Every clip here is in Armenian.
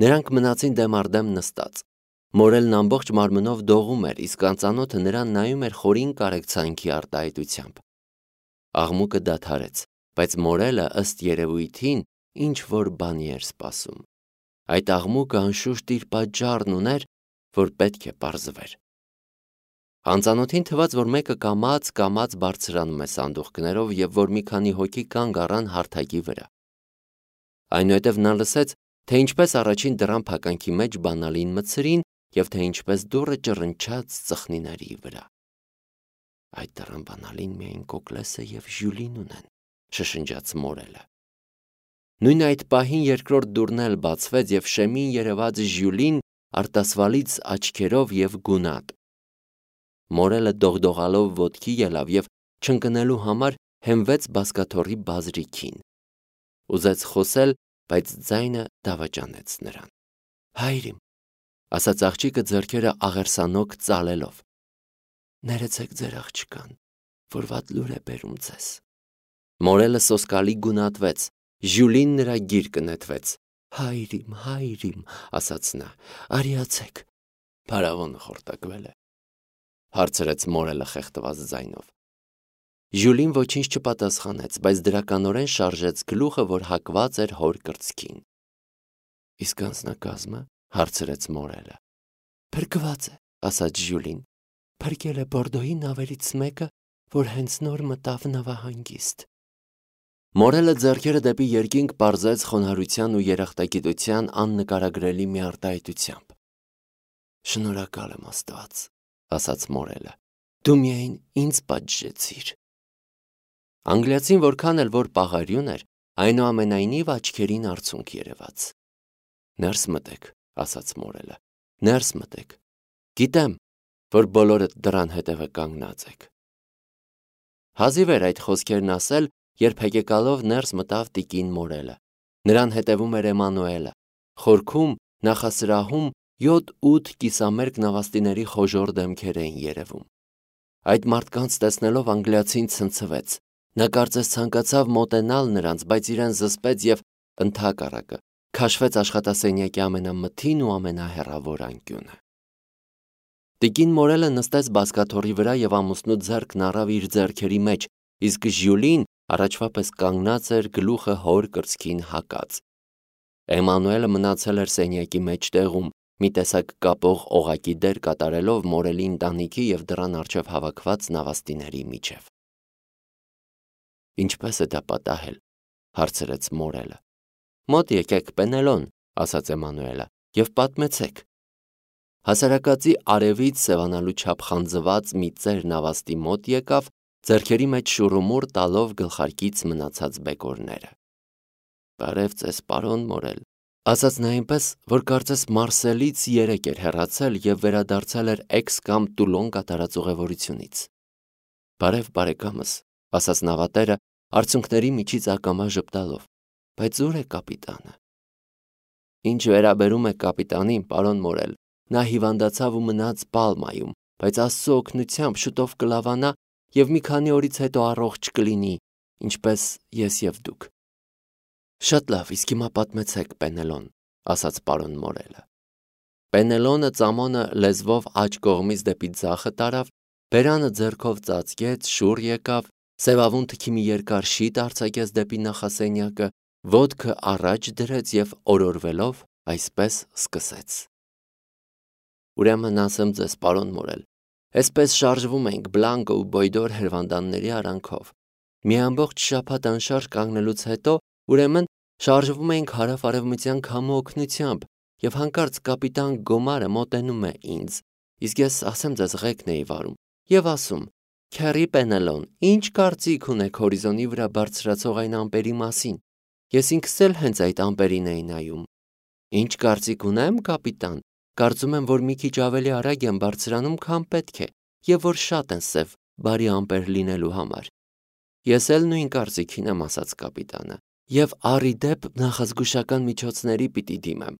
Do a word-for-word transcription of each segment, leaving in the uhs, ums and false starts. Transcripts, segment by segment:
Նրանք մնացին դեմ առ դեմ նստած։ Մորելն ամբողջ մարմնով դողում էր, իսկ անծանոթը նրան նայում էր խորին կարեկցանքի արտահայտությամբ։ Աղմուկը դադարեց, բայց Մորելը ըստ երևույթին ինչ որ բանի էր սպասում։ Այդ աղմուկը անշուշտ իր պատճառն ուներ, որ պետք է պարզվեր։ Անծանոթին թվաց, որ մեկը կամաց-կամաց բարձրանում է սանդուղքներով և որ մի քանի հոգի կանգ առան հարթակի վրա։ Այնուհետև նա լսեց, թե ինչպես առաջին դռան փականքի մեջ բանալին մտցրին և թե ինչպես դուռը ճռնչաց ծխնիների վրա։ Այդ դռան բանալին միայն Կոկլեսը և Ժյուլին ունեն, շշնջաց Մորելը։ Նույն այդ պահին երկրորդ դուռն էլ բացվեց և շեմին երևաց Ժյուլին արտասվալից աչքերով և գունատ։ Մորելը դողդողալով ոտքի ելավ և չընկնելու համար հենվեց բազկաթոռի բազրիքին։ Ուզեց խոսել, բայց ձայնը դավաճանեց նրան։ Հայրիմ, ասաց աղջիկը ձեռքերը աղերսանոք ծալելով, ներեցեք ձեր աղջկան, որ վատ լուր է բերում ձեզ։ Մորելը սոսկալի գունատվեց, Ժյուլին նրա գիրկը նետվեց։ Հայրիմ, հայրիմ, ասաց նա, արիացեք։ Փարավոնը խորտակվել է, հարցրեց Մորելը խեղդված ձայնով։ Ժյուլին ոչինչ չպատասխանեց, բայց դրականորեն շարժեց գլուխը, որ հակված էր հոր կրծքին։ Իսկ անձնակազմը, հարցրեց Մորելը։ Փրկված է, ասաց Ժյուլին, փրկել է Բորդոյի նավերից մեկը, որ հենց նոր մտավ նավահանգիստ։ Մորելը ձեռքերը դեպի երկինք պարզեց խոնարհության ու երախտագիտության աննկարագրելի մի արտահայտությամբ։ Շնորհակալ եմ Աստված, ասաց Մորելը, դու միայն ինձ պատժեցիր։ Անգլիացին որքան էլ որ պաղարյուն էր, այնուամենայնիվ աչքերին արցունք երևաց։ Ներս մտեք, ասաց Մորելը, ներս մտեք։ Գիտեմ, որ բոլորդ դռան հետևը կանգնած եք։ Հազիվ էր այդ խոսքերն ասել, երբ հեկեկալով ներս մտավ տիկին Մորելը։ Նրան հետևում էր Էմանուելը։ Խորքում, նախասրահում յոթ-ութ կիսամերկ նավաստիների խոժոռ դեմքեր էին երևում։ Այդ մարդկանց տեսնելով անգլիացին ցնցվեց։ Նա կարծես ցանկացավ մոտենալ նրանց, բայց իրեն զսպեց և ընդհակառակը քաշվեց աշխատասենյակի ամենամթին ու ամենահեռավոր անկյունը։ Տիկին Մորելը նստեց բազկաթոռի վրա և ամուսնու ձեռքն առավ իր ձեռքերի մեջ, իսկ Ժյուլին առաջվա պես կանգնած էր գլուխը հոր կրծքին հակած։ Էմանուելը մնացել էր սենյակի մեջտեղում, մի տեսակ կապող օղակի դեր կատարելով Մորելի ընտանիքի և դռան առջև հավաքված նավաստիների միջև։ Ինչպես է դա պատահել, հարցրեց Մորելը։ Մոտ եկեք, Պենելոն, ասաց Էմանուելը, և պատմեցեք։ Հասարակածի արևից սևանալու չափ խանձված մի ծեր նավաստի մոտ եկավ, ձեռքերի մեջ շուռումուռ տալով գլխարկից մնացած բեկորները։ Բարև ձեզ, պարոն Մորել, ասաց նա այնպես, որ կարծես Մարսելից երեկ էր հեռացել և վերադարձել էր Էքս կամ Տուլոն կատարած ուղևորությունից։ Բարև բարեկամս, ասաց նավատերը, արցունքների միջից ակամա ժպտալով, բայց ուր է կապիտանը։ Ինչ վերաբերում է կապիտանին, պարոն Մորել, նա հիվանդացավ ու մնաց Պալմայում, բայց Աստծո օգնությամբ շուտով կլավանա և մի քանի օրից հետո առողջ կլինի, ինչպես ես և դուք։ Շատ լավ, իսկ հիմա պատմեցեք, Պենելոն, ասաց պարոն Մորելը։ Պենելոնը ծամոնը լեզվով աջ կողմից դեպի ձախը տարավ, բերանը ձեռքով ծածկեց, շուռ եկավ, սևավուն թքի մի երկար շիթ արձակեց դեպի նախասենյակը, ոտքը առաջ դրեց և օրորվելով այսպես սկսեց. Ուրեմն ասեմ ձեզ, պարոն Մորել, այսպես շարժվում ենք Բլանկո ու Բոյդոր հրվանդանների արանքով։ Մի ամբողջ շաբաթ անշարժ կանգնելուց հետո, ուրեմն, շարժվում ենք հարավ-արևմտյան քամու օգնությամբ, և հանկարծ կապիտան Գոմարը մոտենում է ինձ, իսկ ես ասեմ ձեզ ղեկն էի վարում, և ասում. Քեռի Պենելոն, ինչ կարծիք ունեք հորիզոնի վրա բարձրացող այն ամպերի մասին։ Ես ինքս էլ հենց այդ ամպերին էի նայում։ Ինչ կարծիք ունեմ, կապիտան, կարծում եմ, որ մի քիչ ավելի արագ են բարձրանում, քան պետք է, և որ շատ են սև, բարի ամպեր լինելու համար։ Ես էլ նույն կարծիքին եմ, ասաց կապիտանը, և առի դեպ նախազգուշական միջոցների պիտի դիմեմ։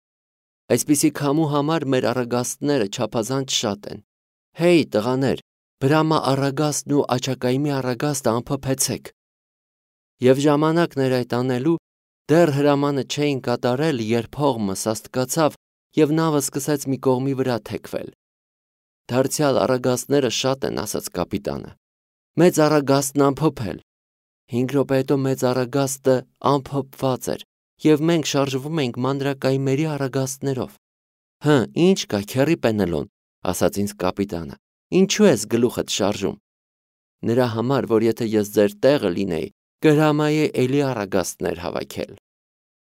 Այսպիսի քամու համար մեր առագաստները չափազանց շատ են։ Հեյ, տղաներ, Բրամա առագաստն ու Աչակայմի առագաստը ամփոփեցեք։ Եվ ժամանակն էր այդ անելու, Դեռ հրամանը չէին կատարել, երբ հողմը սաստկացավ և նավը սկսեց մի կողմի վրա թեքվել։ Դարձյալ առագաստները շատ են, ասաց կապիտանը։ Մեծ առագաստն ամփոփել։ Հինգ րոպե հետո մեծ առագաստը ամփոփված էր, և մենք շարժվում էինք մանրակայմերի առագաստներով։ Հը, ինչ կա, քեռի Պենելոն, ասաց ինձ կապիտանը, ինչու ես գլուխդ շարժում։ Նրա համար, որ եթե ես ձեր տեղը լինեի, կհրամայեի էլի առագաստներ հավաքել։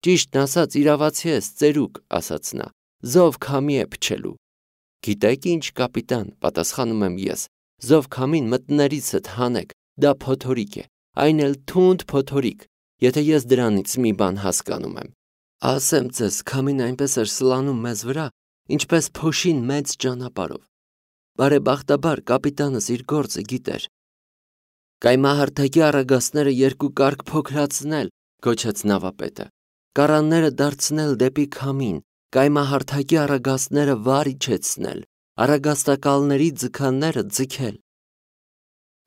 Ճիշտն ասած, իրավացի ես, ծերուկ, ասաց նա, զով քամի է փչելու։ Գիտեք ինչ, կապիտան, պատասխանում եմ ես, զով քամին մտններիցդ հանեք, դա փոթորիկ է, այն էլ թունդ փոթորիկ, եթե ես դրանից մի բան հասկանում եմ։ Ասեմ ձեզ, քամին այնպես էր սլանում մեզ վրա, ինչպես փոշին մեծ ճանապարհով։ Բարեբախտաբար կապիտանս իր գործը գիտեր։ Կայմահարթակի առագաստները երկու կարգ փոքրացնել, գոչեց նավապետը, կառանները դարձնել դեպի քամին, կայմահարթակի առագաստները վար իջեցնել, առագաստակալների ձգանները ձգել։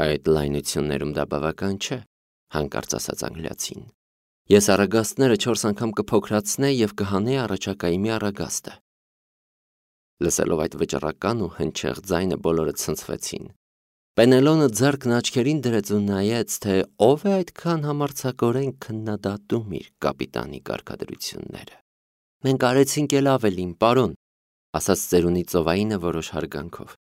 Այդ լայնություններում դա բավական չէ, հանկարծ ասաց անգլիացին։ Ես առագաստները չորս անգամ կփոքրացնեի և կհանեի առաջակայի մի առագաստը։ Լսելով այդ վճռական ու հնչեղ ձայնը բոլորը ցնցվեցին։ Պենելոնը ձեռքն աչքերին դրեց ու նայեց, թե ով է այդքան համարձակորեն քննադատում իր կապիտանի կարգադրությունները։ Մենք արեցինք էլ ավելին, պարոն, ասաց ծերունի ծովայինը որոշ հարգանքով։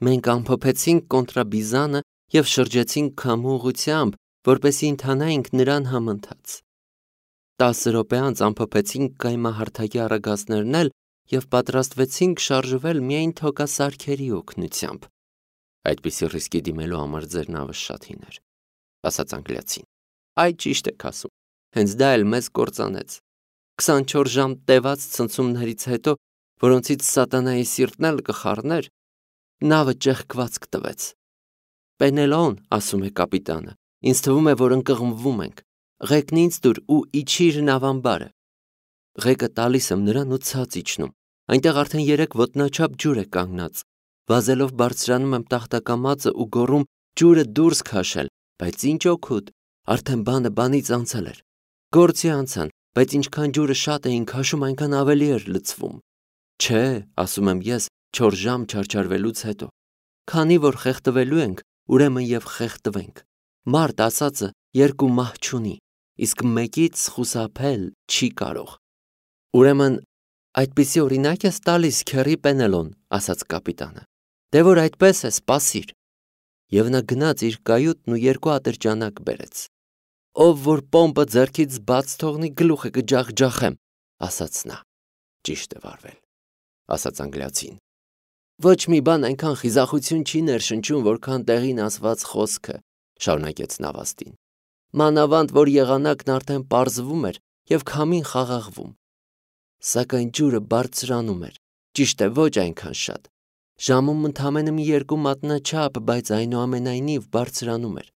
Մենք ամփոփեցինք կոնտրաբիզանը և շրջեցինք քամու ուղղությամբ, որպեսզի ընթանայինք նրան համընթաց։ Տասը րոպե անց ամփոփեցինք կայմահարթակի առագաստներն էլ և պատրաստվեցինք շարժվել միայն թոքասարքերի օգնությամբ։ Այդպիսի ռիսկի դիմելու համար ձեր նավը շատ հին էր, ասաց անգլիացին։ Այ ճիշտ եք ասում, հենց դա էլ մեզ կործանեց։ քսանչորս ժամ տևած ցնցումներից հետո, որոնցից սատանայի սիրտն էլ կխառներ, նավը ճեղքված կտվեց։ Պենելոն, ասում է կապիտանը, ինձ թվում է, որ ընկղմվում ենք։ Ղեկն ինձ տուր ու իջիր նավամբարը։ Ղեկը տալիս եմ նրան ու ցած իջնում։ Այնտեղ արդեն երեք ոտնաչափ ջուր է կանգնած։ Վազելով բարձրանում եմ տախտակամածը ու գոռում ջուրը դուրս քաշել, բայց ինչ օգուտ, արդեն բանը բանից անցել էր։ Գործի անցան, բայց ինչքան ջուրը շատ էին քաշում, այնքան ավելի էր լցվում։ Չէ, ասում եմ ես, չորս ժամ չարչարվելուց հետո։ Քանի որ խեղդվելու ենք, ուրեմն և խեղդվենք։ Մարդ ասածը երկու մահ չունի, իսկ մեկից խուսափել չի կարող։ Ուրեմն այդպիսի օրինակ ես տալիս, քեռի Պենելոն, ասաց կապիտանը։ Դե որ այդպես է, սպասիր։ Եվ նա գնաց իր կայուտն ու երկու ատրճանակ բերեց։ Ով որ պոմպը ձեռքից բաց թողնի, գլուխը կջախջախեմ, ասաց նա։ Ճիշտ է վարվել, ասաց անգլիացին։ Ոչ մի բան այնքան խիզախություն չի ներշնչում, որքան տեղին ասված խոսքը, շարունակեց նավաստին։ Մանավանդ, որ եղանակն արդեն պարզվում էր և քամին խաղաղվում։ Սակայն ջուրը բարձրանում էր, ճիշտ է, ոչ այնքան շատ։ Ժամում ընդամենը մի երկու մատնաչափ, բայց այնուամենայնիվ բարձրանում էր։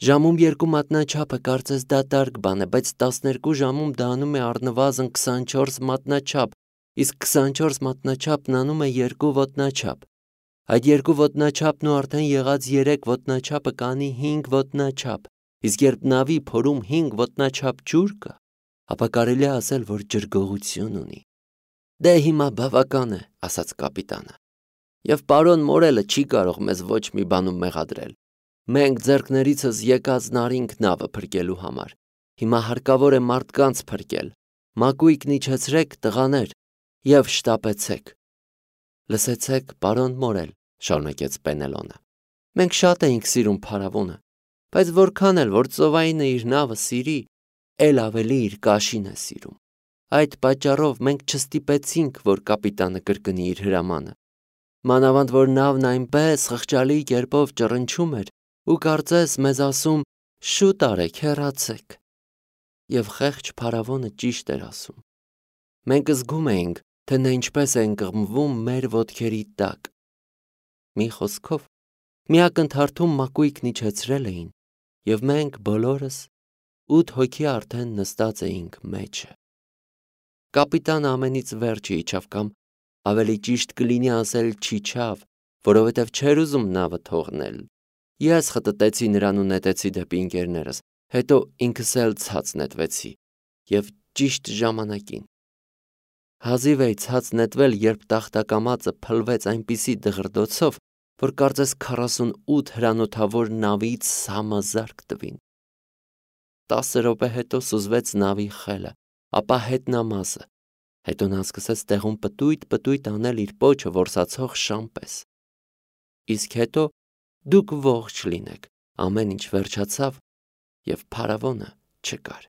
Ժամում երկու մատնաչափը կարծես դատարկ բան է, բայց տասներկու ժամում դա անում է առնվազն քսանչորս մատնաչափ, իսկ քսանչորս մատնաչափն անում է երկու ոտնաչափ։ Այդ երկու ոտնաչափն ու արդեն եղած երեք ոտնաչափը կանի հինգ ոտնաչափ, իսկ երբ նավի փորում հինգ ոտնաչափ ջուր կա, ապա կարելի է ասել, որ ջրգողություն ունի։ Դե հիմա բավական է, ասաց կապիտանը։ Եվ պարոն Մորելը չի կարող մեզ ոչ մի բանում մեղադրել։ Մենք ձեռքներիցս եկածն արինք նավը փրկելու համար։ Հիմա հարկավոր է մարդկանց փրկել։ Մակույկն իջեցրեք, տղաներ, և շտապեցեք։ Լսեցեք, պարոն Մորել, շարունակեց Պենելոնը։ Մենք շատ էինք սիրում փարավոնը, բայց որքան էլ որ ծովայինը իր նավը սիրի, էլ ավելի իր կաշին է սիրում։ Այդ պատճառով մենք չստիպեցինք, որ կապիտանը կրկնի իր հրամանը։ Մանավանդ որ նավն այնպես խղճալի կերպով ճռնչում էր ու կարծես մեզ ասում. «Շուտ արեք, հեռացեք»։ Եվ խեղճ փարավոնը ճիշտ էր ասում։ Մենք զգում էինք, թե նա ինչպես է ընկղմվում մեր ոտքերի տակ։ Մի խոսքով, մի ակնթարթում մակույկն իջեցրել էին, և մենք բոլորս ութ հոգի արդեն նստած էինք մեջը։ Կապիտանը ամենից վերջը իջավ, կամ ավելի ճիշտ կլինի ասել չիջավ, որովհետև չէր ուզում նավը թողնել։ Ես խտտեցի նրան ու նետեցի դեպի ընկերներս, հետո ինքս էլ ցած նետվեցի եւ ճիշտ ժամանակին։ Հազիվ էի ցած նետվել, երբ տախտակամածը փլվեց այնպիսի դղրդոցով, որ կարծես քառասունութ հրանոթավոր նավից համազարկ տվին։ Տասը րոպե հետո սուզվեց նավի խելը, ապա հետնամազը, հետո նա սկսեց տեղում պտույտ-պտույտ անել իր պոչը որսացող շան պես։ Իսկ հետո դուք ողջ լինեք, ամեն ինչ վերջացավ եւ փարավոնը չկար։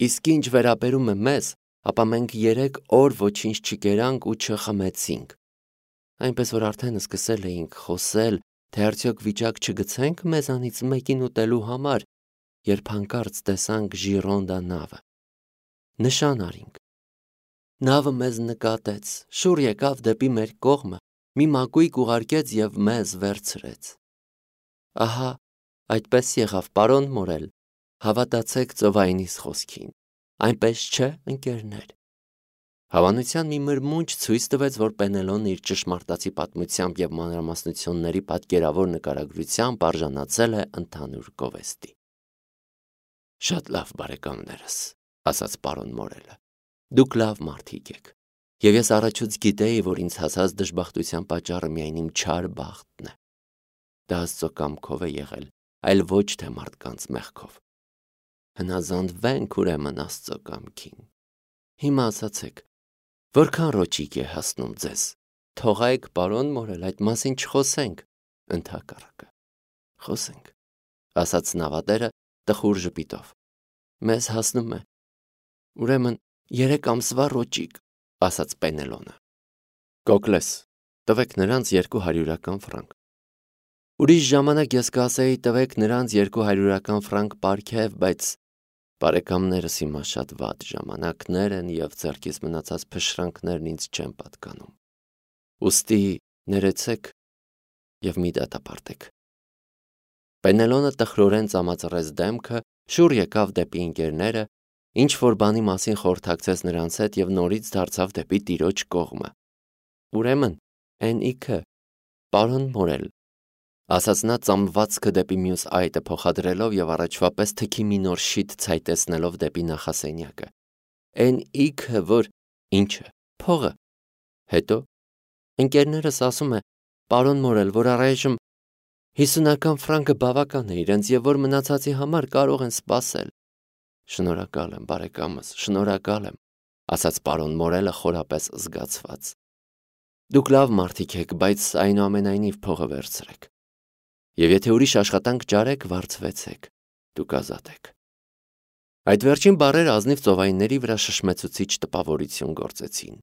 Իսկ ինչ վերաբերում է մեզ, ապա մենք երեք օր ոչինչ չկերանք ու չխմեցինք, այնպես որ արդեն սկսել էինք խոսել, թե արդյոք վիճակ չգցենք մեզանից մեկին ուտելու համար, երբ հանկարծ տեսանք Ժիրոնդա նավը։ Նշան արինք։ Նավը մեզ նկատեց, շուռ եկավ դեպի մեր կողմը, մի մակույկ ուղարկեց եւ մեզ վերցրեց։ Ահա, այդպես եղավ, պարոն Մորել, հավատացեք ծովայինիս խոսքին, այնպես չէ, ընկերներ։ Հավանության մի մրմունջ ցույց տվեց, որ Պենելոն իր ճշմարտացի պատմությամբ եւ մանրամասնությունների պատկերավոր նկարագրությամբ արժանացել է ընդհանուր գովեստի։ Շատ լավ, բարեկամներս, ասաց պարոն Մորելը, դուք լավ մարդիկ եք, եւ ես առաջուց գիտեի, որ ինձ հասած դժբախտության պատճառը միայն իմ չար բախտն է։ Դա Աստծո կամքով է եղել, այլ ոչ թե մարդկանց մեղքով։ Հնազանդվենք ուրեմն Աստծո կամքին։ Հիմա ասացեք, որքան ռոճիկ է հասնում ձեզ։ Թողայք, պարոն Մորել, այդ մասին չխոսենք, ընդհակառակը։ Խոսենք, ասաց նավատերը տխուր ժպիտով։ Մեզ հասնում է։ Ուրեմն երեք ամսվա ռոճիկ, ասաց Պենելոնը։ Կոկլես, տվեք նրանց երկու հարյուրական ֆրանկ։ Ուրիշ ժամանակ ես կասեի տվեք նրանց երկու հարյուրական ֆրանկ պարգև, բայց բարեկամներս հիմա շատ վատ ժամանակներ են եւ ձեռքից մնացած փշրանքներն ինձ չեն պատկանում։ Ուստի ներեցեք եւ մի դատապարտեք։ Պենելոնը տխրորեն ծամածրեց դեմքը, շուռ եկավ դեպի ընկերները, ինչ որ բանի մասին խորհրդակցեց նրանց հետ եւ նորից դարձավ դեպի տիրոջ կողմը։ Ուրեմն, այն իքը, պարոն Մորել, ասաց նա ծամվածքը դեպի մյուս այտը փոխադրելով եւ առաջվա պես թքի մի նոր շիթ ցայտեցնելով դեպի նախասենյակը։ Այն իքը, որ ինչը, փողը։ Հետո ընկերներս ասում է, պարոն Մորել, որ առայժմ հիսունական ֆրանկը բավական է իրենց եւ որ մնացածի համար կարող են սպասել։ Շնորհակալ եմ, բարեկամս, շնորհակալ եմ, ասաց պարոն Մորելը խորապես զգացված։ Դուք լավ մարդիկ եք, բայց այնուամենայնիվ փողը վերցրեք։ Եվ եթե ուրիշ աշխատանք ճարեք, վարձվեցեք, դուք ազատ եք։ Այդ վերջին բառերը ազնիվ ծովայինների վրա շշմեցուցիչ տպավորություն գործեցին։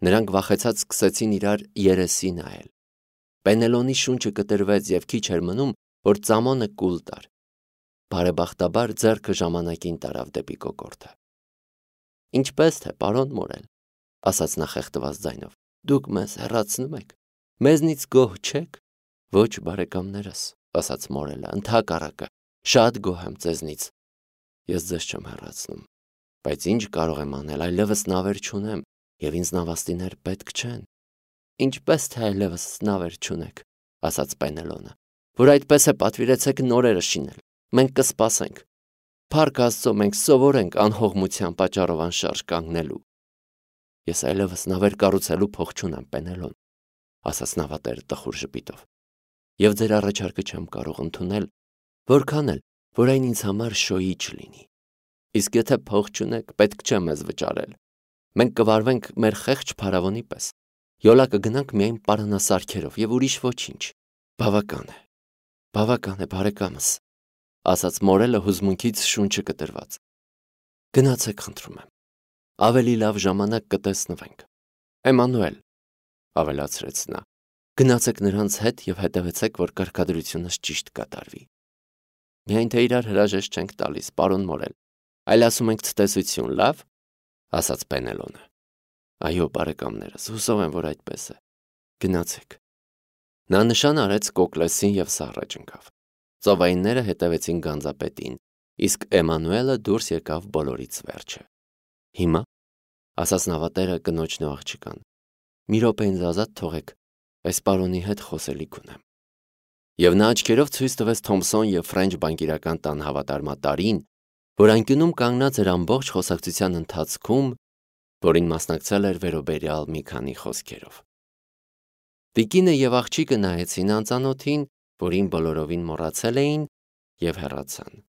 Նրանք վախեցած սկսեցին իրար երեսի նայել։ Պենելոնի շունչը կտրվեց եւ քիչ էր մնում, որ ծամոնը կուլ տար։ Բարեբախտաբար ձեռքը ժամանակին տարավ դեպի կոկորդը։ Ինչպես թե, պարոն Մորել, ասաց նա խեղդված ձայնով, դուք մեզ հեռացնում եք, մեզնից գոհ չեք։ Ոչ, բարեկամներս, ասաց Մորելը, ընդհակառակը, շատ գոհ եմ ձեզնից։ Ես ձեզ չեմ հեռացնում, բայց ինչ կարող եմ անել, այլևս նավեր չունեմ, եւ ինձ նավաստիներ պետք չեն։ Ինչպես թե այլևս նավեր չունեք, ասաց Պենելոնը, որ այդպես է պատվիրեցեք նորերը շինել։ Մենք կսպասենք։ Փառք Աստծո, մենք սովոր ենք անհողմության պատճառով անշարժ կանգնելու։ Ես այլևս նավեր կառուցելու փող չունեմ, Պենելոն, ասաց նավատերը տխուր ժպիտով։ Եվ ձեր առաջարկը չեմ կարող ընդունել, որքան էլ, որ այն ինձ համար շոյի չլինի։ Իսկ եթե փող չունեք, պետք չէ մեզ վճարել։ Մենք կվարվենք մեր խեղճ փարավոնի պես։ Յոլա կգնանք միայն պարանասարքերով եւ ուրիշ ոչինչ։ Բավական է։ Բավական է, բարեկամս, ասաց Մորելը հուզմունքից շունչը կտրված։ Գնացեք, խնդրում եմ։ Ավելի լավ ժամանակ կտեսնվենք։ Էմանուել, ավելացրեց նա, գնացեք նրանց հետ եւ հետևեցեք, որ կարգադրությունս ճիշտ կատարվի։ Միայն թե իրար հրաժեշտ չենք տալիս, պարոն Մորել, այլ ասում ենք ցտեսություն, լավ, ասաց Պենելոնը։ Այո, բարեկամներս, հուսով եմ, որ այդպես է։ Գնացեք։ Նա նշան արեց Կոկլեսին եւ սառը ջնկավ։ Ծովայինները հետևեցին գանձապետին, իսկ Էմանուելը դուրս եկավ բոլորից վերջը։ Հիմա, ասաց նավատերը կնոջն ու աղջկան, մի րոպե ինձ ազատ թողեք, այս պարոնի հետ խոսելիք ունեմ։ Եվ նա աչքերով ցույց տվեց Թոմսոն և Ֆրենչ բանկիրական տան հավատարմատարին, որ անկյունում կանգնած էր ամբողջ խոսակցության ընթացքում, որին մասնակցել էր վերոբերյալ մի քանի խոսքերով։ Տիկինը և աղջիկը նայեցին անծանոթին, որին բոլորովին մոռացել էին, և հեռացան։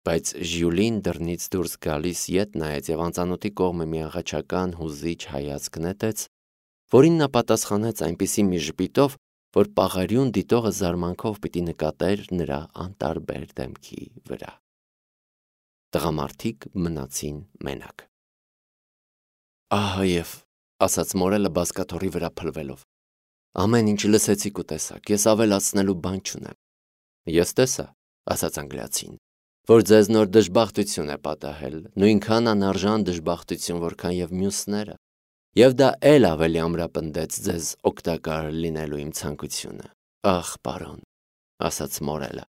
Բայց Ժյուլին դռնից դուրս գալիս ետ նայեց և անծանոթի կողմը մի աղաչական հուզիչ հայացք նետեց, որին նա պատասխանեց այնպիսի մի ժպիտով, որ պաղարյուն դիտողը զարմանքով պիտի նկատեր նրա անտարբեր դեմքի վրա։ Տղամարդիկ մնացին մենակ։ Ահա և, ասաց Մորելը բազկաթոռի վրա փլվելով, ամեն ինչ լսեցիք ու տեսաք, ես ավելացնելու բան չունեմ։ Ես տեսա, ասաց անգլիացին, որ ձեզ նոր դժբախտություն է պատահել, նույնքան անարժան դժբախտություն, որքան և մյուսները, և դա էլ ավելի ամրապնդեց ձեզ օգտակար լինելու իմ ցանկությունը։ Ախ, պարոն, ասաց Մորելը։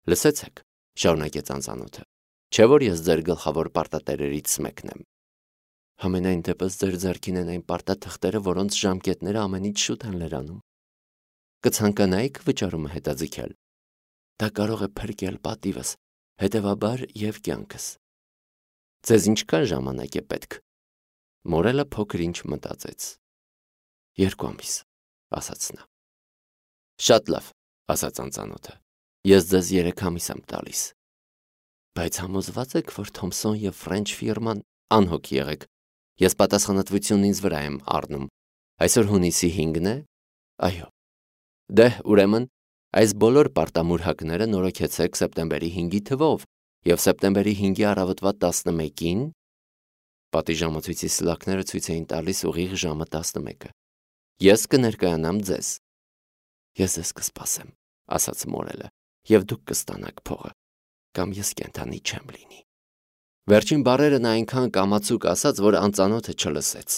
Լսեցեք, շարունակեց անծանոթը, չէ՞ որ ես ձեր գլխավոր պարտատերերից մեկն եմ։ Համենայն դեպս ձեր ձեռքին են այն պարտաթղթերը, որոնց ժամկետները ամենից շուտ են լրանում։ Կցանկանայիք վճարումը հետաձգել։ Դա կարող է փրկել պատիվս, հետևաբար և կյանքս։ Ձեզ ինչքան ժամանակ է պետք։ Մորելը փոքր ինչ մտածեց։ Երկու ամիս, ասաց նա։ Շատ լավ, ասաց անծանոթը, ես ձեզ երեք ամիս եմ տալիս։ Բայց համոզված եք, որ Թոմսոն և Ֆրենչ ֆիրման անհոգ եղեք, ես պատասխանատվությունն ինձ վրա եմ առնում։ Այսօր հունիսի հինգն է։ Այո։ Դե, ուրեմն, այս բոլոր պարտամուրհակները նորոգեցեք սեպտեմբերի հինգի թվով և սեպտեմբերի հինգի առավոտվա տասնմեկին պատիժամոցույցի սլաքները ցույց էին տալիս ուղիղ ժամը տասնմեկը։ Ես կներկայանամ ձեզ։ Ես ձեզ կսպասեմ, ասաց Մորելը, և դուք կստանաք փողը, կամ ես կենդանի չեմ լինի։ Վերջին բառերը նա այնքան կամացուկ ասաց, որ անծանոթը չլսեց։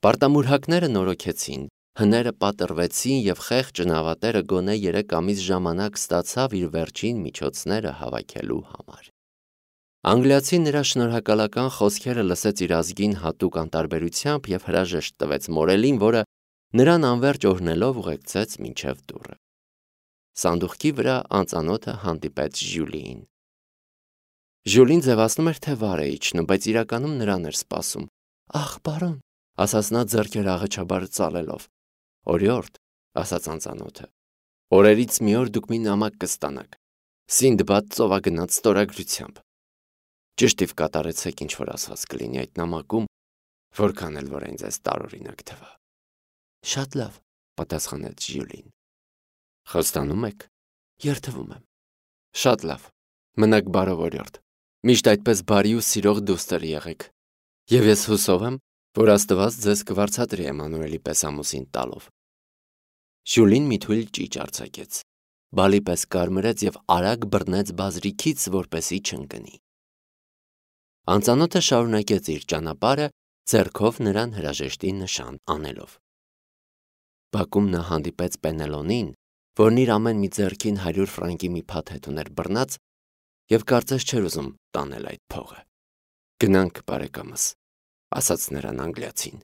Պարտամուրհակները նորոգեցին, հները պատռվեցին և խեղճ նավատերը գոնե երեք ամիս ժամանակ ստացավ իր վերջին միջոցները հավաքելու համար։ Անգլիացին նրա շնորհակալական խոսքերը լսեց իր ազգին հատուկ անտարբերությամբ և հրաժեշտ տվեց Մորելին, որը նրան անվերջ օրհնելով ուղեկցեց մինչև դուռը։ Սանդուղքի վրա անծանոթը հանդիպեց Ժյուլիին։ Ժյուլին ձևացնում էր, թե վար է իջնում, բայց իրականում նրան էր սպասում։ Ախ, պարոն, ասաց նա ձեռքերը աղաչաբար ծալելով։ Օրիորդ, ասաց անծանոթը, օրերից մի օր դուք մի նամակ կստանաք, Սինդբադ ծովագնաց ստորագրությամբ։ Ճշտիվ կատարեցեք, ինչ որ ասված կլինի այդ նամակում, որքան էլ որ այն ձեզ տարօրինակ թվա։ Շատ լավ, պատասխանեց Ժյուլին։ Խոստանում եք։ Երդվում եմ։ Շատ լավ։ Մնաք բարով, օրիորդ։ Միշտ այդպես բարի ու սիրող դուստր եղեք։ Եվ ես հուսով եմ, որ Աստված ձեզ կվարձատրի Էմանուելի պես ամուսին տալով։ Ժյուլին մի թույլ ճիճ արձակեց, բալի պես կարմրեց և արագ բռնեց բազրիքից, որպեսզի չընկնի։ Անծանոթը շարունակեց իր ճանապարհը, ձեռքով նրան հրաժեշտի նշան անելով։ Բակում նա հանդիպեց Պենելոնին, որն իր ամեն մի ձեռքին հարյուր ֆրանկի մի փաթեթ ուներ բռնած և կարծես չէր ուզում տանել այդ փողը։ Գնանք, բարեկամս, ասաց նրան անգլիացին։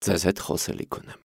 Ձեզ հետ խոսելիք ունեմ։